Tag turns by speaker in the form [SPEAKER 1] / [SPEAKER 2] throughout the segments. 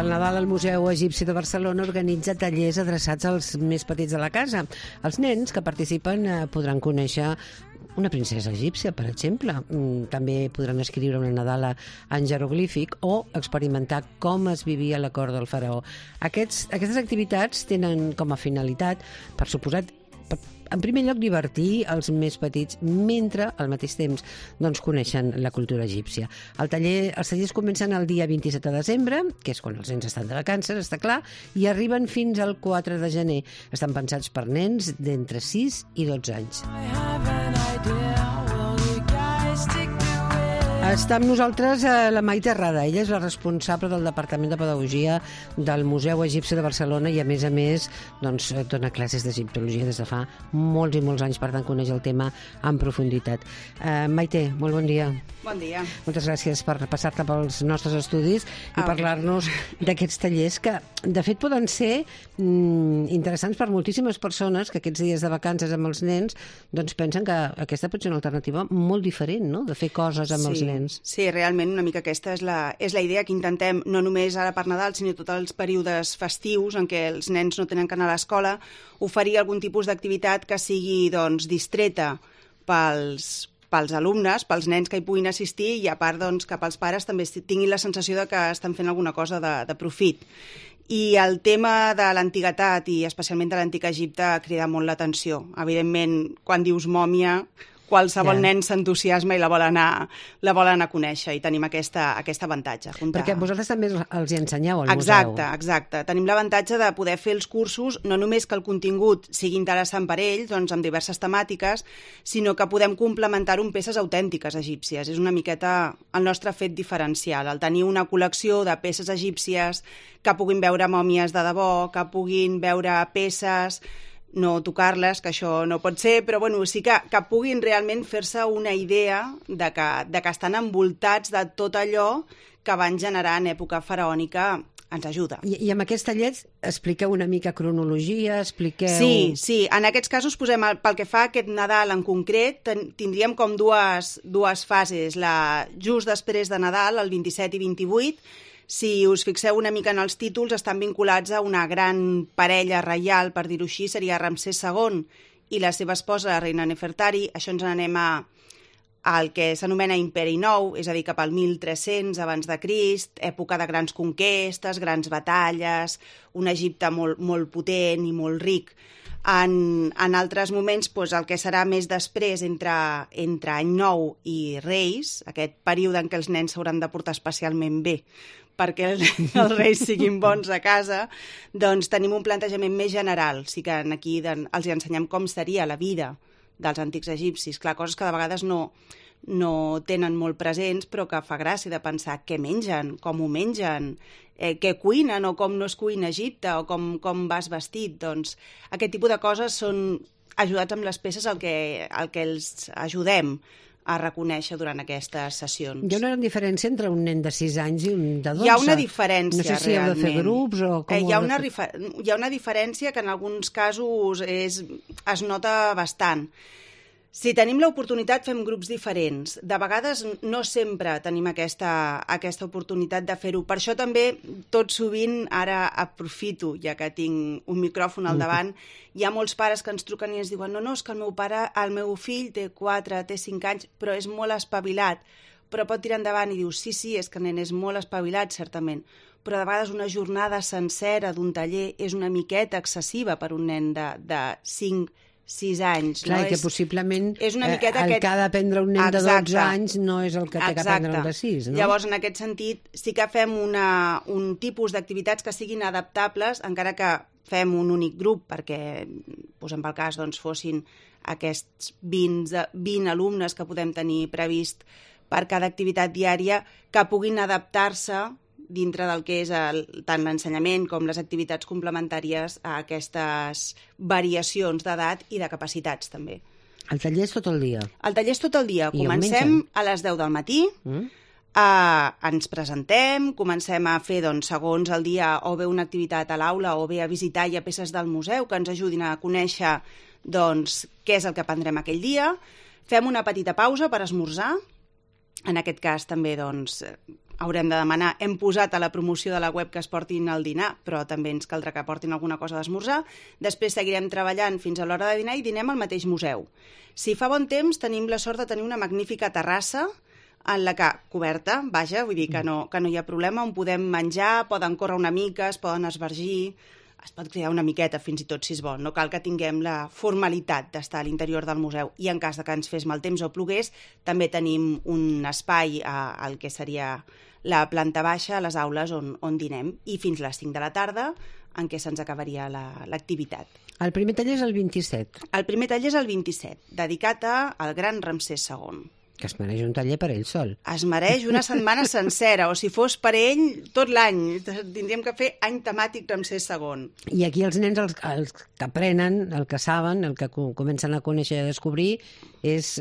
[SPEAKER 1] pel Nadal el Museu Egipci de Barcelona organitza tallers adreçats als més petits de la casa. Els nens que participen podran conèixer una princesa egípcia, per exemple. També podran escriure una Nadala en jeroglífic o experimentar com es vivia la cort del faraó. Aquestes activitats tenen com a finalitat, per suposat, en primer lloc, divertir els més petits mentre, al mateix temps, coneixen la cultura egípcia. Els tallers comencen el dia 27 de desembre, que és quan els nens estan de vacances, està clar, i arriben fins al 4 de gener. Estan pensats per nens d'entre 6 i 12 anys. Està amb nosaltres la Maite Rada. Ella és la responsable del Departament de Pedagogia del Museu Egipci de Barcelona i, a més, dona classes d'egiptologia des de fa molts i molts anys, per tant, coneix el tema en profunditat. Maite, molt bon dia.
[SPEAKER 2] Bon dia.
[SPEAKER 1] Moltes gràcies per passar-te pels nostres estudis i parlar-nos d'aquests tallers que, de fet, poden ser interessants per moltíssimes persones que aquests dies de vacances amb els nens pensen que aquesta pot ser una alternativa molt diferent, no?, de fer coses amb els nens.
[SPEAKER 2] Sí, realment una mica aquesta és la idea que intentem, no només ara per Nadal, sinó tots els períodes festius en què els nens no tenen que anar a l'escola, oferir algun tipus d'activitat que sigui distreta pels alumnes, pels nens que hi puguin assistir i, a part, que pels pares també tinguin la sensació de que estan fent alguna cosa de profit. I el tema de l'antiguitat, i especialment de l'antic Egipte, crida molt l'atenció. Evidentment, quan dius mòmia, qualsevol nen s'entusiasma i la vol anar a conèixer, i tenim aquest avantatge.
[SPEAKER 1] Perquè vosaltres també els hi ensenyeu al museu.
[SPEAKER 2] Exacte. Tenim l'avantatge de poder fer els cursos, no només que el contingut sigui interessant per ells, amb diverses temàtiques, sinó que podem complementar-ho amb peces autèntiques egípcies. És una miqueta el nostre fet diferencial, el tenir una col·lecció de peces egípcies que puguin veure mòmies de debò, que puguin veure peces, no tocar-les, que això no pot ser, però sí que puguin realment fer-se una idea de que estan envoltats de tot allò que van generar en època faraònica. Ens ajuda.
[SPEAKER 1] I amb aquests tallers expliqueu una mica cronologia, expliqueu...
[SPEAKER 2] Sí, en aquests casos pel que fa a aquest Nadal en concret, tindríem com dues fases. Just després de Nadal, el 27 i 28, si us fixeu una mica en els títols, estan vinculats a una gran parella reial, per dir-ho així, seria Ramsès II i la seva esposa, la reina Nefertari. Això ens n'anem al que s'anomena Imperi Nou, és a dir, cap al 1300 abans de Crist, època de grans conquestes, grans batalles, un Egipte molt potent i molt ric. En altres moments, el que serà més després, entre Any Nou i Reis, aquest període en què els nens s'hauran de portar especialment bé perquè els reis siguin bons a casa, tenim un plantejament més general. Sí que aquí els ensenyem com seria la vida dels antics egipcis. Clar, coses que de vegades no tenen molt presents, però que fa gràcia de pensar què mengen, com ho mengen, què cuinen o com no es cuina a Egipte o com vas vestit. Aquest tipus de coses són ajudats amb les peces el que els ajudem a reconèixer durant aquestes sessions.
[SPEAKER 1] Hi ha una gran diferència entre un nen de 6 anys i un de 12?
[SPEAKER 2] Hi ha una diferència, realment.
[SPEAKER 1] No sé si heu de fer grups o com...
[SPEAKER 2] Hi ha una diferència que en alguns casos es nota bastant. Si tenim l'oportunitat, fem grups diferents. De vegades no sempre tenim aquesta oportunitat de fer-ho. Per això també, tot sovint, ara aprofito, ja que tinc un micròfon al davant, hi ha molts pares que ens truquen i ens diuen no, és que el meu fill té 4, té 5 anys, però és molt espavilat. Però pot tirar endavant i diu, sí, és que el nen és molt espavilat, certament. Però de vegades una jornada sencera d'un taller és una miqueta excessiva per un nen de 6 anys.
[SPEAKER 1] Clar, que possiblement el que ha d'aprendre un nen de 12 anys no és el que té que aprendre un de 6, no?
[SPEAKER 2] Llavors, en aquest sentit, sí que fem un tipus d'activitats que siguin adaptables, encara que fem un únic grup, perquè, posem pel cas, fossin aquests 20 alumnes que podem tenir previst per cada activitat diària, que puguin adaptar-se dintre del que és tant l'ensenyament com les activitats complementàries a aquestes variacions d'edat i de capacitats, també.
[SPEAKER 1] El taller és tot el dia?
[SPEAKER 2] El taller és tot el dia. Comencem a les 10 del matí, ens presentem, comencem a fer, segons el dia, o bé una activitat a l'aula o bé a visitar ja peces del museu que ens ajudin a conèixer què és el que aprendrem aquell dia. Fem una petita pausa per esmorzar. En aquest cas també haurem de demanar, hem posat a la promoció de la web que es portin al dinar, però també ens caldrà que portin alguna cosa d'esmorzar. Després seguirem treballant fins a l'hora de dinar i dinem al mateix museu. Si fa bon temps, tenim la sort de tenir una magnífica terrassa en la que, coberta, vaja, vull dir que no hi ha problema, on podem menjar, poden córrer una mica, es poden esvergir, es pot crear una miqueta fins i tot si es vol. No cal que tinguem la formalitat d'estar a l'interior del museu i en cas de que ens fes mal temps o plogués, també tenim un espai al que seria la planta baixa, a les aules on dinem, i fins les 5 de la tarda en què se'ns acabaria l'activitat.
[SPEAKER 1] El primer taller és el 27.
[SPEAKER 2] El primer taller és el 27, dedicat al gran Ramsès II.
[SPEAKER 1] Que es mereix un taller per ell sol.
[SPEAKER 2] Es mereix una setmana sencera, o si fos per ell, tot l'any. Tindríem que fer any temàtic Ramsès II.
[SPEAKER 1] I aquí els nens, els que aprenen, el que saben, el que comencen a conèixer i a descobrir, és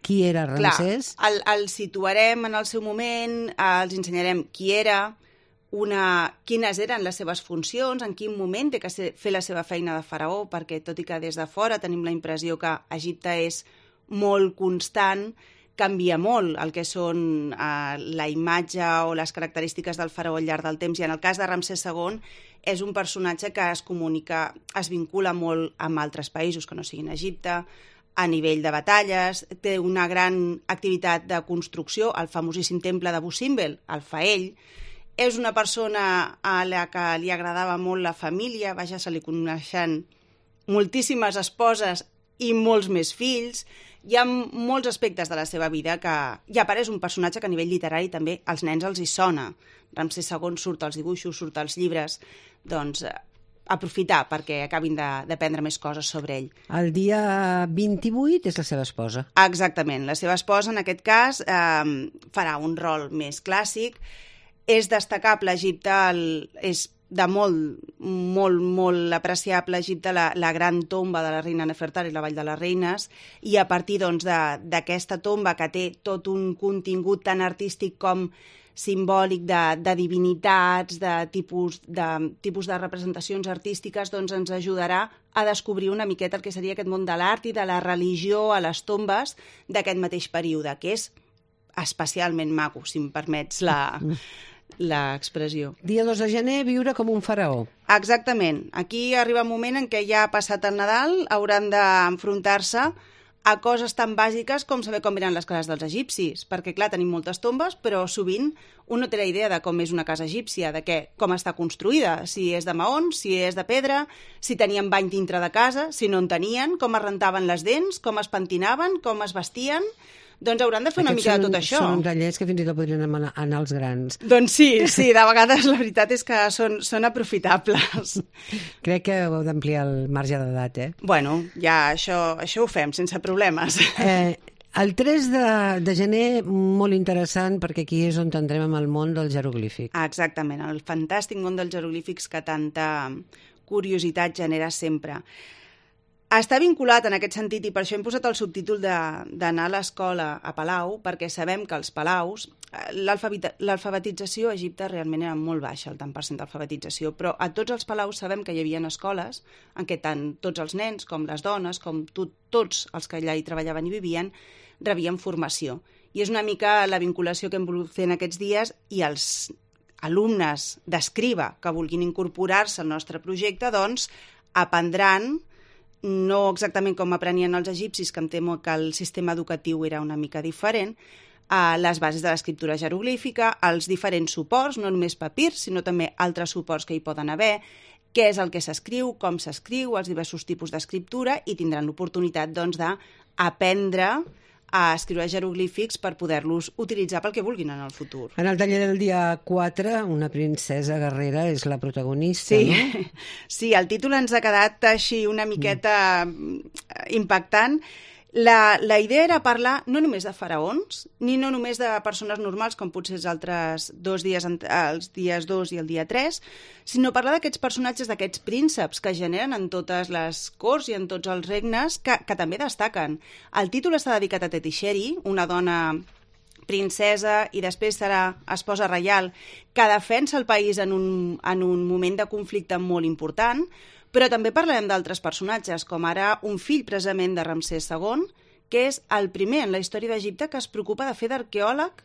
[SPEAKER 1] qui era Ramsès.
[SPEAKER 2] Clar, el situarem en el seu moment, els ensenyarem qui era, quines eren les seves funcions, en quin moment té que fer la seva feina de faraó, perquè tot i que des de fora tenim la impressió que Egipte és molt constant, canvia molt el que són la imatge o les característiques del faraó al llarg del temps, i en el cas de Ramsès II és un personatge que es comunica, es vincula molt amb altres països que no siguin Egipte, a nivell de batalles, té una gran activitat de construcció, el famosíssim temple de Abu Simbel, el fa ell, és una persona a la que li agradava molt la família, vaja, se li coneixen moltíssimes esposes i molts més fills. Hi ha molts aspectes de la seva vida que ja apareix un personatge que a nivell literari també als nens els hi sona. Ramsès II surt als dibuixos, surt als llibres, doncs aprofitar perquè acabin d'aprendre més coses sobre ell.
[SPEAKER 1] El dia 28 és la seva esposa.
[SPEAKER 2] Exactament, la seva esposa en aquest cas farà un rol més clàssic. És destacable, Egipte és de molt apreciable Egipte, la gran tomba de la reina Nefertari, la Vall de les Reines, i a partir d'aquesta tomba que té tot un contingut tan artístic com simbòlic de divinitats, de tipus de representacions artístiques, doncs ens ajudarà a descobrir una miqueta el que seria aquest món de l'art i de la religió a les tombes d'aquest mateix període, que és especialment maco, si em permets l'expressió.
[SPEAKER 1] Dia 2 de gener, viure com un faraó.
[SPEAKER 2] Exactament. Aquí arriba un moment en què ja ha passat el Nadal, hauran d'enfrontar-se a coses tan bàsiques com saber com eren les cases dels egipcis, perquè, clar, tenim moltes tombes, però sovint un no té la idea de com és una casa egípcia, com està construïda, si és de maons, si és de pedra, si tenien bany dintre de casa, si no en tenien, com es rentaven les dents, com es pentinaven, com es vestien. Doncs hauran de fer una mica de tot això.
[SPEAKER 1] Són tallers que fins i tot podrien anar als grans.
[SPEAKER 2] Doncs sí, de vegades la veritat és que són aprofitables.
[SPEAKER 1] Crec que heu d'ampliar el marge d'edat,
[SPEAKER 2] Bueno, ja això ho fem sense problemes.
[SPEAKER 1] El 3 de gener, molt interessant, perquè aquí és on entrem amb el món del jeroglífic.
[SPEAKER 2] Exactament, el fantàstic món dels jeroglífics que tanta curiositat genera sempre. Està vinculat en aquest sentit, i per això hem posat el subtítol d'anar a l'escola a Palau, perquè sabem que els palaus, l'alfabetització a Egipte realment era molt baixa, el tant % d'alfabetització, però a tots els palaus sabem que hi havia escoles en què tant tots els nens com les dones, com tots els que allà hi treballaven i vivien, rebien formació. I és una mica la vinculació que hem volgut fer en aquests dies, i els alumnes d'escriba que vulguin incorporar-se al nostre projecte, doncs aprendran, no exactament com aprenien els egipcis, que em temo que el sistema educatiu era una mica diferent, les bases de l'escriptura jeroglífica, els diferents suports, no només papir, sinó també altres suports que hi poden haver, què és el que s'escriu, com s'escriu, els diversos tipus d'escriptura, i tindran l'oportunitat doncs, d'aprendre a escriure jeroglífics per poder-los utilitzar pel que vulguin en el futur.
[SPEAKER 1] En el taller del dia 4, una princesa guerrera és la protagonista, no?
[SPEAKER 2] Sí, el títol ens ha quedat així una miqueta impactant. La idea era parlar no només de faraons, ni no només de persones normals, com potser els altres els dies 2 i el dia 3, sinó parlar d'aquests personatges, d'aquests prínceps que generen en totes les corts i en tots els regnes, que també destaquen. El títol està dedicat a Tetisheri, una dona princesa i després serà esposa reial, que defensa el país en un moment de conflicte molt important, però també parlarem d'altres personatges, com ara un fill precisament de Ramsès II, que és el primer en la història d'Egipte que es preocupa de fer d'arqueòleg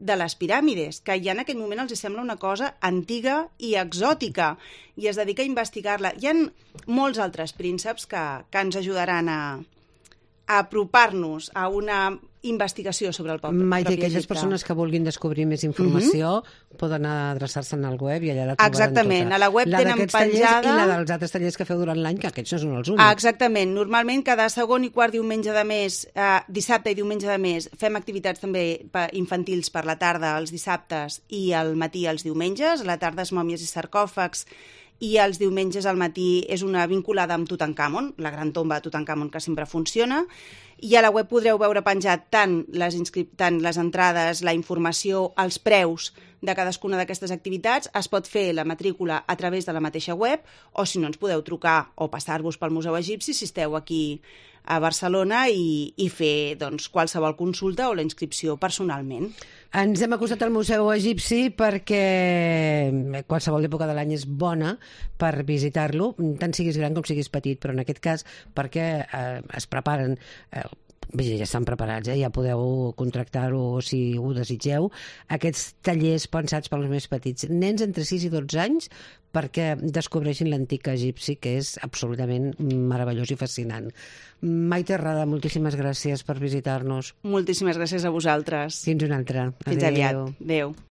[SPEAKER 2] de les piràmides, que ja en aquell moment els sembla una cosa antiga i exòtica, i es dedica a investigar-la. Hi ha molts altres prínceps que ens ajudaran a apropar-nos a una investigació sobre el propi Egipte.
[SPEAKER 1] Maite, aquelles persones que vulguin descobrir més informació poden adreçar-se al web i allà la trobaran
[SPEAKER 2] Exactament,
[SPEAKER 1] tota.
[SPEAKER 2] a la web tenen penjada...
[SPEAKER 1] I la dels altres tallers que feu durant l'any, que aquests no són els únics.
[SPEAKER 2] Exactament, normalment cada segon i quart diumenge de mes, dissabte i diumenge de mes, fem activitats també infantils per la tarda els dissabtes i al matí els diumenges, a la tarda és mòmies i sarcòfags, i els diumenges al matí és una vinculada amb Tutankamon, la gran tomba de Tutankamon, que sempre funciona, i a la web podreu veure penjat tant les entrades, la informació, els preus de cadascuna d'aquestes activitats. Es pot fer la matrícula a través de la mateixa web, o si no ens podeu trucar o passar-vos pel Museu Egipci si esteu aquí a Barcelona i fer qualsevol consulta o la inscripció personalment.
[SPEAKER 1] Ens hem acostat al Museu Egipci perquè qualsevol època de l'any és bona per visitar-lo, tant siguis gran com siguis petit, però en aquest cas perquè es preparen... ja estan preparats, ja podeu contractar-ho si ho desitgeu. Aquests tallers pensats pels més petits, nens entre 6 i 12 anys, perquè descobreixin l'antic egipci, que és absolutament meravellós i fascinant. Maite Rada, moltíssimes gràcies per visitar-nos.
[SPEAKER 2] Moltíssimes gràcies a vosaltres.
[SPEAKER 1] Fins una altra.
[SPEAKER 2] Fins aviat. Adéu.